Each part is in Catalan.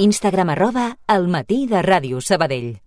Instagram @elmatí de Ràdio Sabadell.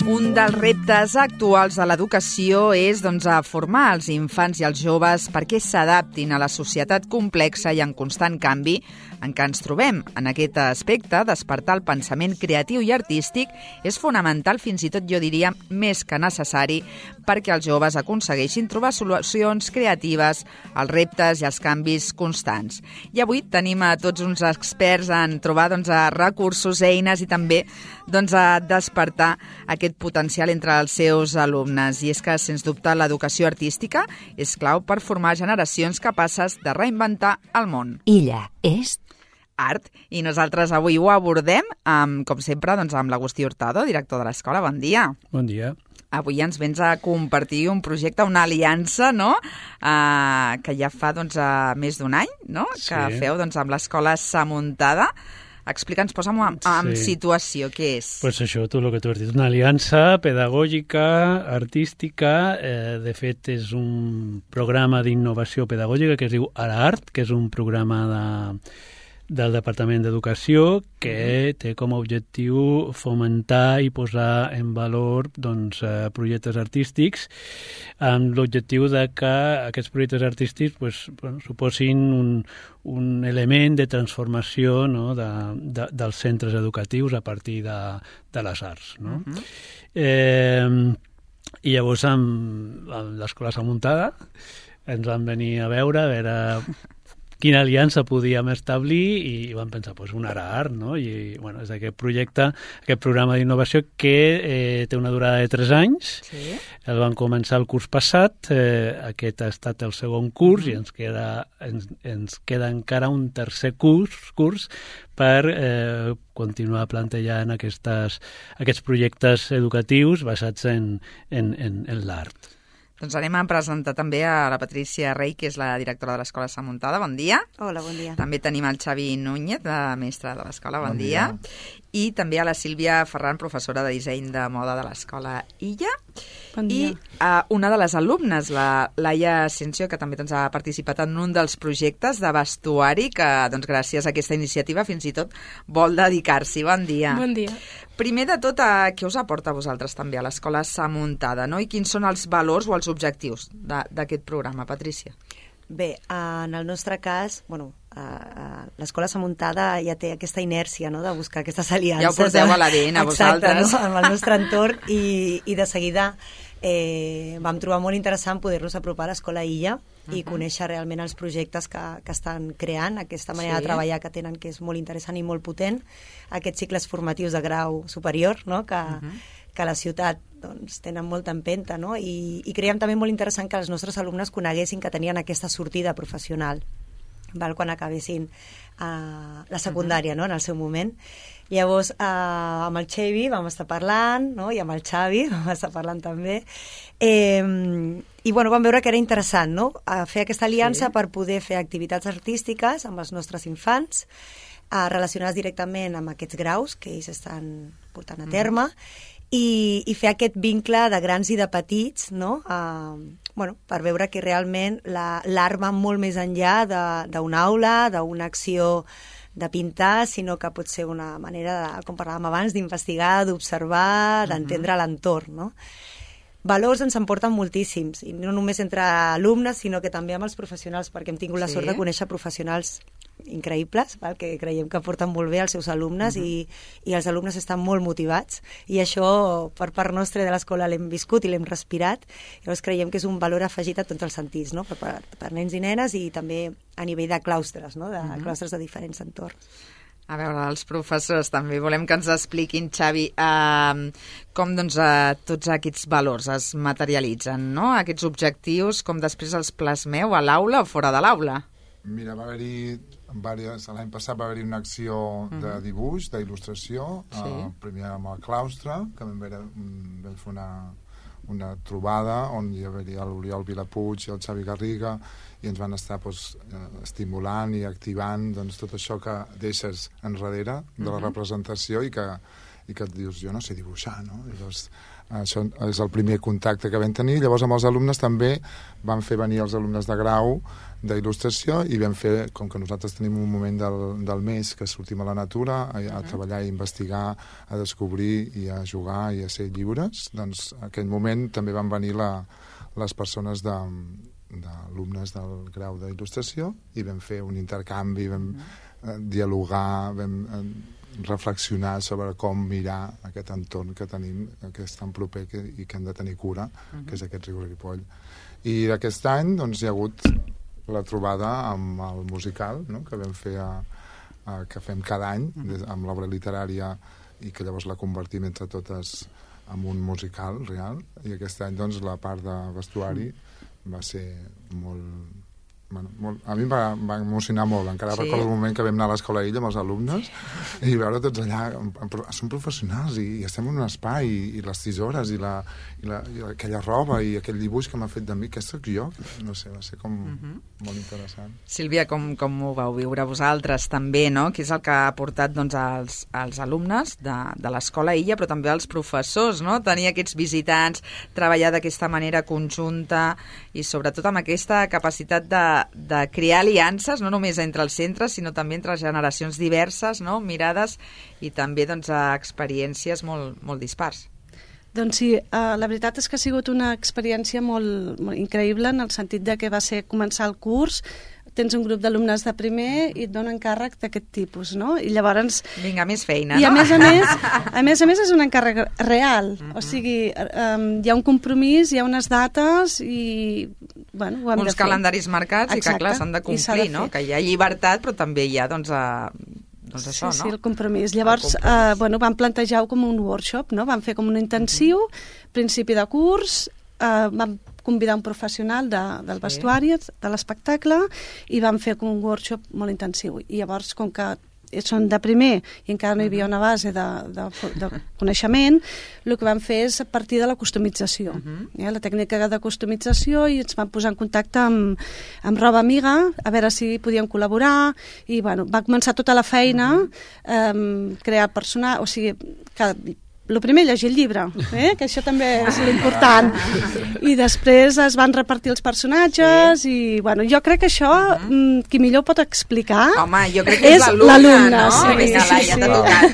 Un dels reptes actuals de l'educació és a formar els infants i els joves perquè s'adaptin a la societat complexa i en constant canvi en què ens trobem. En aquest aspecte, despertar el pensament creatiu i artístic és fonamental, fins i tot jo diria més que necessari, perquè els joves aconsegueixin trobar solucions creatives als reptes i als canvis constants. I avui tenim a tots uns experts en trobar recursos, eines i també a despertar aquest potencial entre els seus alumnes. I és que, sens dubte, l'educació artística és clau per formar generacions capaces de reinventar el món. Illa és art. I nosaltres avui ho abordem, com sempre, amb l'Agustí Hurtado, director de l'escola. Bon dia. Bon dia. Avui ens vens a compartir un projecte, una aliança, no?, que ja fa més d'un any, no?, Sí. que feu amb l'escola Samuntada. Explica'ns, posa'm en situació, què és? Pues això, tu el que tu has dit, una aliança pedagògica, artística, de fet és un programa d'innovació pedagògica que es diu Ara Art, que és un programa del Departament d'Educació que té com a objectiu fomentar i posar en valor projectes artístics amb l'objectiu de que aquests projectes artístics suposin un element de transformació, no, dels centres educatius a partir de les arts. No? I llavors amb l'escola Samuntada ens van venir a veure quina aliança podíem establir i vam pensar, un Ara Art, no? I és aquest projecte, aquest programa d'innovació que té una durada de 3 anys. Sí. El vam començar el curs passat, aquest ha estat el segon curs i ens queda encara un tercer curs per continuar plantejant aquests projectes educatius basats en l'art. Doncs anem a presentar també a la Patrícia Rey, que és la directora de l'Escola Samuntada. Bon dia. Hola, bon dia. També tenim el Xavi Núñez, mestre de l'Escola. Bon dia. I també a la Sílvia Ferran, professora de disseny de moda de l'Escola Illa. Bon dia. I una de les alumnes, la Laia Asensio, que també ha participat en un dels projectes de vestuari que, gràcies a aquesta iniciativa, fins i tot vol dedicar-s'hi. Bon dia. Bon dia. Primer de tot, què us aporta a vosaltres també a l'Escola Samuntada, no? I quins són els valors o els objectius d'aquest programa, Patrícia? Bé, en el nostre cas, l'Escola Samuntada ja té aquesta inèrcia, no?, de buscar aquestes aliances. Ja ho porteu a l'ADN, vosaltres. Exacte, no?, amb el nostre entorn i de seguida vam trobar molt interessant poder-nos apropar a l'Escola Illa i conèixer realment els projectes que estan creant, aquesta manera de treballar que tenen, que és molt interessant i molt potent, aquests cicles formatius de grau superior, no?, que a la ciutat tenen molta empenta, no? I creiem també molt interessant que els nostres alumnes coneguessin que tenien aquesta sortida professional quan acabessin la secundària, no?, en el seu moment. Llavors, amb el Xavi vam estar parlant, no?, i amb el Xavi vam estar parlant també, i vam veure que era interessant, no?, fer aquesta aliança per poder fer activitats artístiques amb els nostres infants, relacionades directament amb aquests graus que ells estan portant a terme, i fer aquest vincle de grans i de petits, no?, per veure que realment l'art va molt més enllà d'una aula, d'una acció de pintar, sinó que pot ser una manera, com parlàvem abans, d'investigar, d'observar, d'entendre l'entorn, no? Valors ens en porten moltíssims, i no només entre alumnes, sinó que també amb els professionals, perquè hem tingut la sort de conèixer professionals increïbles, que creiem que porten molt bé als seus alumnes i els alumnes estan molt motivats, i això per part nostra de l'escola l'hem viscut i l'hem respirat. Llavors creiem que és un valor afegit a tots els sentits, no?, per nens i nenes i també a nivell de claustres, no?, de claustres de diferents entorns. A veure, els professors també volem que ens expliquin, Xavi, com tots aquests valors es materialitzen, no?, aquests objectius, com després els plasmeu a l'aula o fora de l'aula. Mira, l'any passat va haver-hi una acció de dibuix, d'il·lustració, primer amb el claustre, que vam fer una trobada on hi havia l'Oriol Vilapuig i el Xavi Garriga, i ens van estar estimulant i activant tot això que deixes enrere de la representació i i que et dius, jo no sé dibuixar, no? Llavors, això és el primer contacte que vam tenir. Llavors, amb els alumnes també vam fer venir els alumnes de grau d'il·lustració i vam fer, com que nosaltres tenim un moment del mes que sortim a la natura, a treballar i investigar, a descobrir i a jugar i a ser lliures, doncs en aquell moment també van venir les persones d'alumnes del grau d'il·lustració i vam fer un intercanvi, vam dialogar, vam reflexionar sobre com mirar aquest entorn que tenim, que és tan proper i que hem de tenir cura, que és aquest Riu Ripoll. I aquest any doncs, hi ha hagut la trobada amb el musical, no?, que vam fer que fem cada any amb l'obra literària i que llavors la convertim entre totes en un musical real, i aquest any doncs, la part de vestuari va ser molt... Bueno, a mi em va emocionar molt. Encara recordo el moment que vam anar a l'Escola Illa amb els alumnes i veure tots allà, som professionals i estem en un espai i les tisores i aquella roba i aquell dibuix que m'ha fet de mi, que sóc jo, no sé, va ser com molt interessant. Sílvia, com ho vau viure vosaltres també, no? Que és el que ha portat doncs, als alumnes de l'Escola Illa, però també als professors, no? Tenir aquests visitants, treballar d'aquesta manera conjunta i sobretot amb aquesta capacitat de crear aliances, no només entre els centres, sinó també entre generacions diverses, no? Mirades i també doncs, experiències molt dispars. Doncs sí, la veritat és que ha sigut una experiència molt increïble en el sentit de que va ser començar el curs, tens un grup d'alumnes de primer i et donen càrrec d'aquest tipus, no? I llavors... Vinga, més feina, no? I a més és un encàrrec real, o sigui, hi ha un compromís, hi ha unes dates i, bueno, ho hem de fer. Uns calendaris marcats. Exacte. I que, clar, s'han de complir, no? Que hi ha llibertat, però també hi ha, doncs això, no? Sí, el compromís. Llavors, vam plantejar-ho com un workshop, no? Vam fer com un intensiu, principi de curs, vam convidar un professional del vestuari, de l'espectacle, i vam fer un workshop molt intensiu. I llavors, com que són de primer i encara no hi havia una base de coneixement, el que vam fer és a partir de la customització. La tècnica de customització, i ens vam posar en contacte amb Roba Amiga, a veure si podíem col·laborar, i bueno, va començar tota la feina, crear personal, o sigui, el primer, llegir el llibre, que això també és l'important. I després es van repartir els personatges i, bueno, jo crec que això, qui millor pot explicar... Home, jo crec que és l'alumne, no? Sí, vinga, Laia,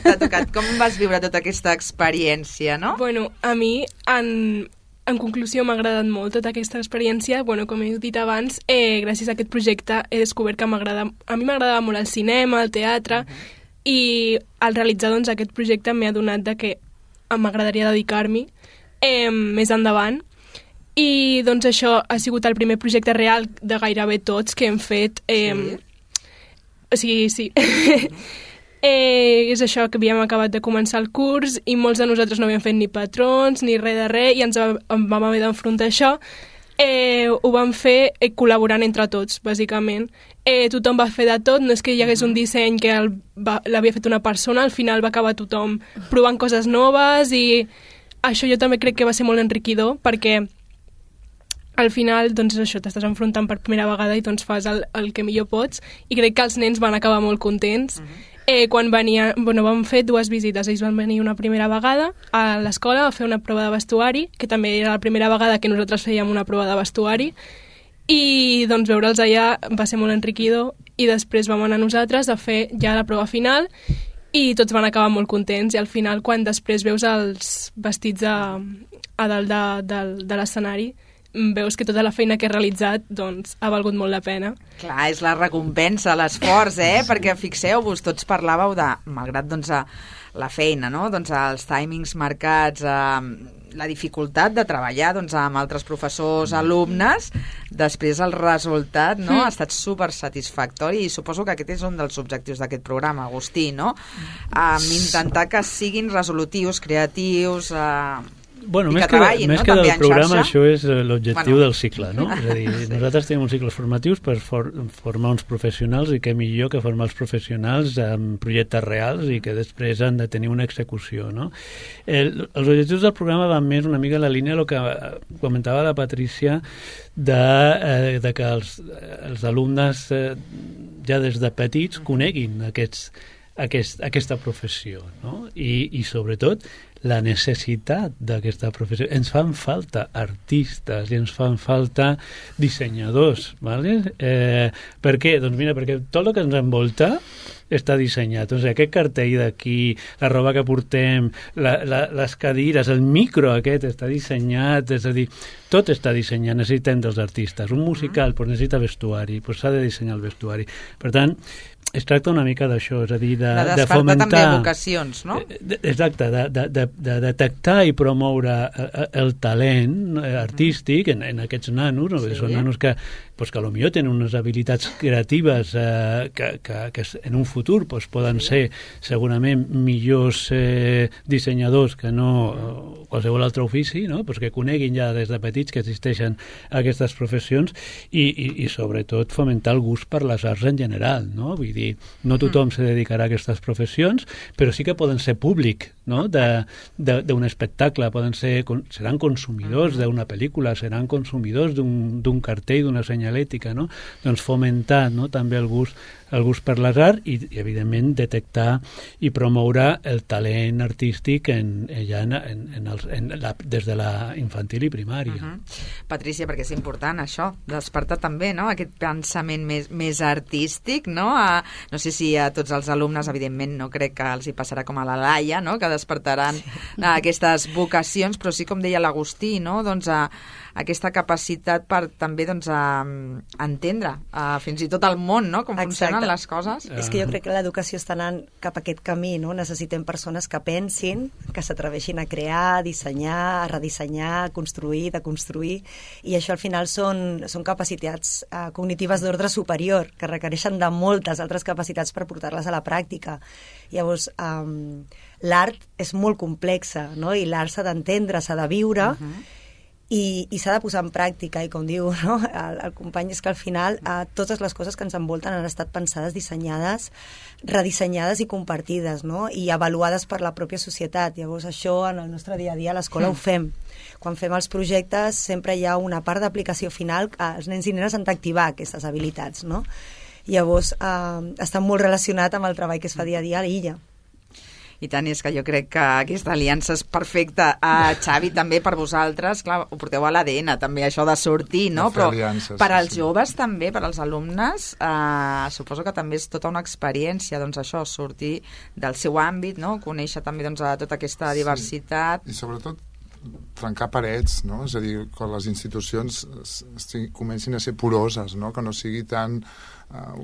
t'ha tocat. Com vas viure tota aquesta experiència, no? Bueno, a mi, en conclusió, m'ha agradat molt tota aquesta experiència. Bueno, com he dit abans, gràcies a aquest projecte he descobert que a mi m'agradava molt el cinema, el teatre, i al realitzar doncs, aquest projecte m'ha donat que m'agradaria dedicar-m'hi més endavant, i doncs això ha sigut el primer projecte real de gairebé tots que hem fet. O sigui, sí. És això, que havíem acabat de començar el curs i molts de nosaltres no havíem fet ni patrons ni res de res, i ens vam haver d'enfrontar això. Ho vam fer col·laborant entre tots, bàsicament. Tothom va fer de tot, no és que hi hagués un disseny que l'havia fet una persona, al final va acabar tothom provant coses noves, i això jo també crec que va ser molt enriquidor, perquè al final, doncs això, t'estàs enfrontant per primera vegada i doncs fas el que millor pots, i crec que els nens van acabar molt contents. Quan vam fer 2 visites. Ells van venir una primera vegada a l'escola a fer una prova de vestuari, que també era la primera vegada que nosaltres fèiem una prova de vestuari, i doncs veure'ls allà va ser molt enriquidor, i després vam anar nosaltres a fer ja la prova final i tots van acabar molt contents, i al final quan després veus els vestits a dalt de l'escenari veus que tota la feina que he realitzat doncs, ha valgut molt la pena. Clar, és la recompensa, l'esforç, perquè fixeu-vos, tots parlàveu de, malgrat doncs, la feina, no? Doncs, els timings marcats, la dificultat de treballar doncs, amb altres professors, alumnes, després el resultat no? Ha estat super satisfactori, i suposo que aquest és un dels objectius d'aquest programa, Agustí, no? Intentar que siguin resolutius, creatius... Bueno, més que del programa, això és l'objectiu del cicle, no? És a dir, nosaltres tenim uns cicles formatius per formar uns professionals, i què millor que formar els professionals amb projectes reals i que després han de tenir una execució, no? Els objectius del programa van més una mica a la línia del que comentava la Patrícia de que els alumnes ja des de petits coneguin aquesta professió, no? I sobretot la necessitat d'aquesta professió. Ens fan falta artistes i ens fan falta dissenyadors, ¿vale? Per què? Doncs mira, perquè tot el que ens envolta està dissenyat. O sigui, aquest cartell d'aquí, la roba que portem, les cadires, el micro aquest està dissenyat, és a dir, tot està dissenyat, necessitem dels artistes. Un musical necessita vestuari, s'ha de dissenyar el vestuari. Per tant, es tracta una mica d'això, és a dir, de fomentar... també vocacions, no? Exacte, de detectar i promoure el talent artístic en aquests nanos, no? Són nanos que potser tenen unes habilitats creatives que en un futur poden ser segurament millors dissenyadors que no qualsevol altre ofici, no? Que coneguin ja des de petits que existeixen aquestes professions i sobretot fomentar el gust per les arts en general, no? Vull dir, no tothom se dedicarà a aquestes professions, però sí que poden ser públic, no? d'un espectacle, seran consumidors d'una pel·lícula, seran consumidors d'un cartell, d'una senyalètica, no? Doncs fomentar, no? També el gust per les arts i evidentment detectar i promoure el talent artístic des de la infantil i primària. Patrícia, perquè és important això, despertar també, no? Aquest pensament més artístic, no? No sé si a tots els alumnes, evidentment, no crec que els hi passarà com a la Laia, no? Que despertaran aquestes vocacions, però sí, com deia l'Agustí, no? Doncs aquesta capacitat per també entendre fins i tot el món, no? Com funcionen les coses. És que jo crec que l'educació està anant cap a aquest camí, no? Necessitem persones que pensin, que s'atreveixin a crear, a dissenyar, a redissenyar, a construir, deconstruir, i això al final són capacitats cognitives d'ordre superior, que requereixen de moltes altres capacitats per portar-les a la pràctica. Llavors, l'art és molt complexa, no? I l'art s'ha d'entendre, s'ha de viure, i s'ha de posar en pràctica, i com diu, no? el company, és que al final totes les coses que ens envolten han estat pensades, dissenyades, redissenyades i compartides, no? I avaluades per la pròpia societat. Llavors això en el nostre dia a dia a l'escola ho fem. Quan fem els projectes sempre hi ha una part d'aplicació final que els nens i nenes han d'activar aquestes habilitats, no? Llavors està molt relacionat amb el treball que es fa dia a dia a l'illa. I tant, és que jo crec que aquesta aliança és perfecta. Xavi, també per vosaltres, clar, ho porteu a l'ADN, també, això de sortir, no? Però per als joves també, per als alumnes, suposo que també és tota una experiència, doncs això, sortir del seu àmbit, no? Conèixer també doncs, tota aquesta diversitat. I sobretot trencar parets, no? És a dir, que les institucions comencin a ser poroses, no? Que no sigui tant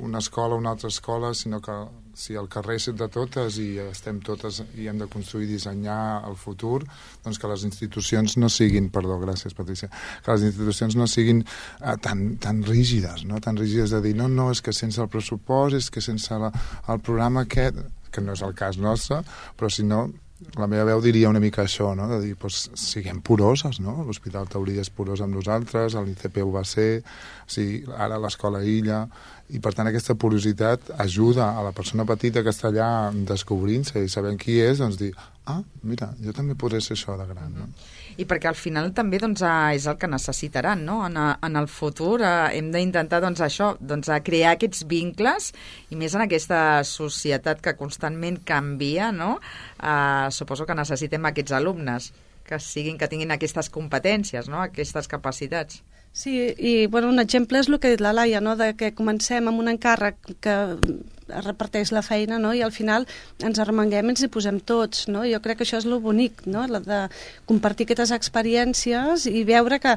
una escola o una altra escola, sinó que si el carrer és de totes i estem totes i hem de construir i dissenyar el futur, doncs que les institucions no siguin, perdó, gràcies Patrícia, que les institucions no siguin tan rígides, no? Tan rígides de dir, no, és que sense el pressupost, és que sense el programa aquest, que no és el cas nostre, però si no, la meva veu diria una mica això, no? De dir, doncs, siguem poroses, no? L'Hospital Taurí és porós amb nosaltres, l'ICP ho va ser, sí, ara l'escola Illa, i per tant aquesta porositat ajuda a la persona petita que està allà descobrint-se i sabent qui és, doncs dir, mira, jo també podré ser això de gran, no? I perquè al final també doncs, és el que necessitaran, no? En el futur hem d'intentar doncs, això, doncs, crear aquests vincles, i més en aquesta societat que constantment canvia, no? Suposo que necessitem aquests alumnes que tinguin aquestes competències, no? Aquestes capacitats. Sí, i bueno, un exemple és el que ha dit la Laia, no? De que comencem amb un encàrrec que es reparteix la feina, no? I al final ens arremanguem i ens hi posem tots, no? Jo crec que això és lo bonic, no? De compartir aquestes experiències i veure que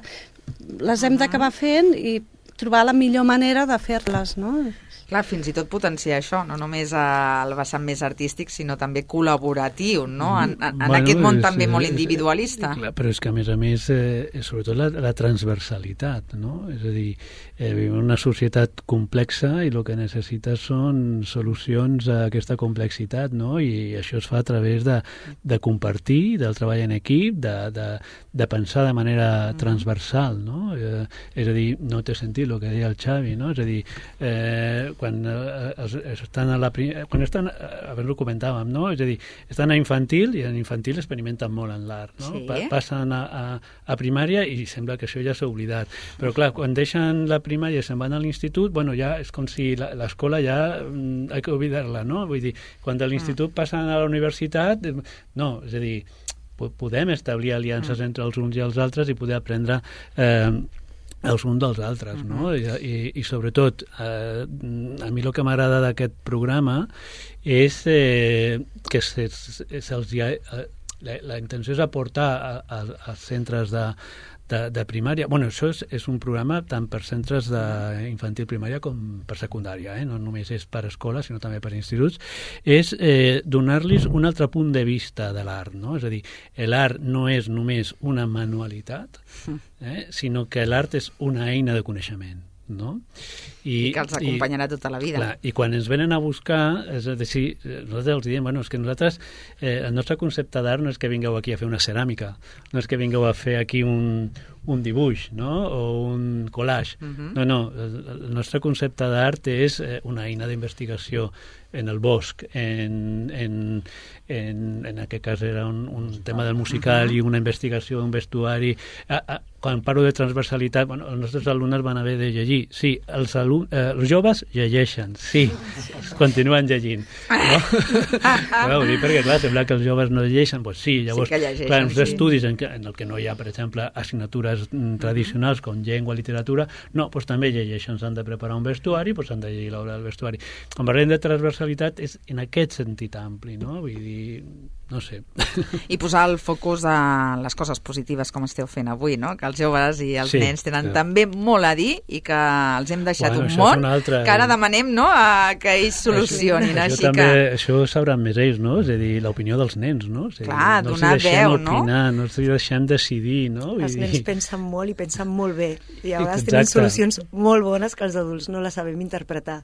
les hem d'acabar fent i trobar la millor manera de fer-les, no? Clar, fins i tot potenciar això, no només el vessant més artístic, sinó també col·laboratiu, no? En aquest món també molt individualista. Clar, però és que, a més, sobretot la transversalitat, no? És a dir, vivim en una societat complexa i el que necessita són solucions a aquesta complexitat, no? I això es fa a través de compartir, del treball en equip, de pensar de manera transversal, no? És a dir, no té sentit el que deia el Xavi, no? És a dir, estan a abans ho comentàvem, no? És a dir, estan a infantil i en infantil experimenten molt en l'art, no? Sí. Passen a primària i sembla que això ja s'ha oblidat. Però clar, quan deixen la primària i se'n van a l'institut, bueno, ja és com si l'escola ja hay que oblidar-la, no? Vull dir, quan de l'institut passen a la universitat, no, és a dir, podem establir aliances entre els uns i els altres i poder aprendre els uns dels altres, no? I sobretot, a mi el que m'agrada d'aquest programa és que la intenció és aportar als centres de primària. Bueno, això és un programa tant per centres d'infantil primària com per secundària, no només és per escoles, sinó també per instituts, és donar-los un altre punt de vista de l'art, no? És a dir, l'art no és només una manualitat, sinó que l'art és una eina de coneixement, no? I que els acompanyarà tota la vida. Clar, i quan ens venen a buscar, és a dir, nosaltres els diem, bueno, és que nosaltres, el nostre concepte d'art no és que vingueu aquí a fer una ceràmica, no és que vingueu a fer aquí un dibuix, no? O un collage. No, el nostre concepte d'art és una eina d'investigació en el bosc, en aquest cas era un tema del musical i una investigació d'un vestuari. Quan parlo de transversalitat, bueno, els nostres alumnes van haver de llegir. Sí, els joves llegeixen, sí, continuen llegint. No? Clar, ho dic perquè, clar, sembla que els joves no llegeixen, doncs sí, llavors, sí que llegeixen, clar, uns estudis en el que no hi ha, per exemple, assignatures tradicionals com llengua, literatura, no, doncs també llegeixen, s'han de preparar un vestuari, doncs s'han de llegir l'obra del vestuari. Quan parlem de transversalitat és en aquest sentit ampli, no? Vull dir, no sé. I posar el focus a les coses positives com esteu fent avui, no? Que els joves i els nens tenen també molt a dir i que els hem deixat un món que ara demanem, no?, que ells solucionin. Això sabran més ells, no? És a dir, l'opinió dels nens, no? Clar, donar veu, no? No els deixem decidir, no? Els nens pensen molt i pensen molt bé i a vegades tenen solucions molt bones que els adults no les sabem interpretar.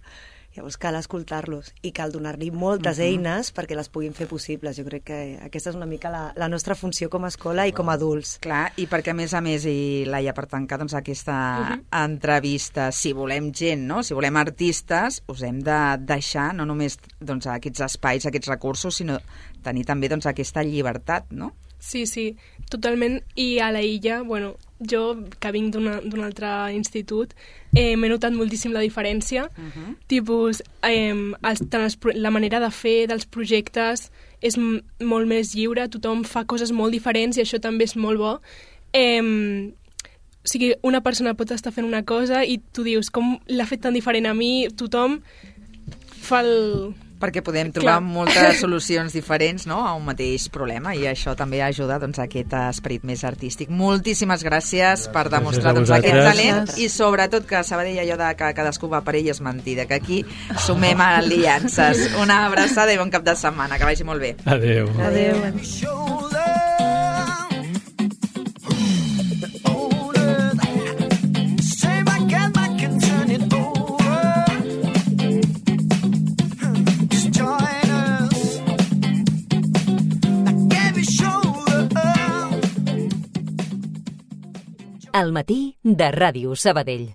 Llavors cal escoltar-los i cal donar-li moltes eines perquè les puguin fer possibles. Jo crec que aquesta és una mica la nostra funció com a escola i com a adults. Clar, i perquè a més, i Laia, per tancar doncs, aquesta entrevista, si volem gent, no? Si volem artistes, us hem de deixar no només doncs, aquests espais, aquests recursos, sinó tenir també doncs, aquesta llibertat, no? Sí, totalment. I a la Illa, bueno, jo, que vinc d'un altre institut, m'he notat moltíssim la diferència. Tipus, la manera de fer dels projectes és molt més lliure, tothom fa coses molt diferents i això també és molt bo. O sigui, una persona pot estar fent una cosa i tu dius, com l'ha fet tan diferent a mi? Tothom fa el... Perquè podem trobar moltes solucions diferents, no?, a un mateix problema, i això també ajuda doncs, a aquest esperit més artístic. Moltíssimes gràcies per demostrar doncs, aquest talent i sobretot que Sabadell allò de que cadascú va per ell és mentida, que aquí sumem aliances. Una abraçada i bon cap de setmana, que vagi molt bé. Adéu. Adéu. Al matí de Ràdio Sabadell.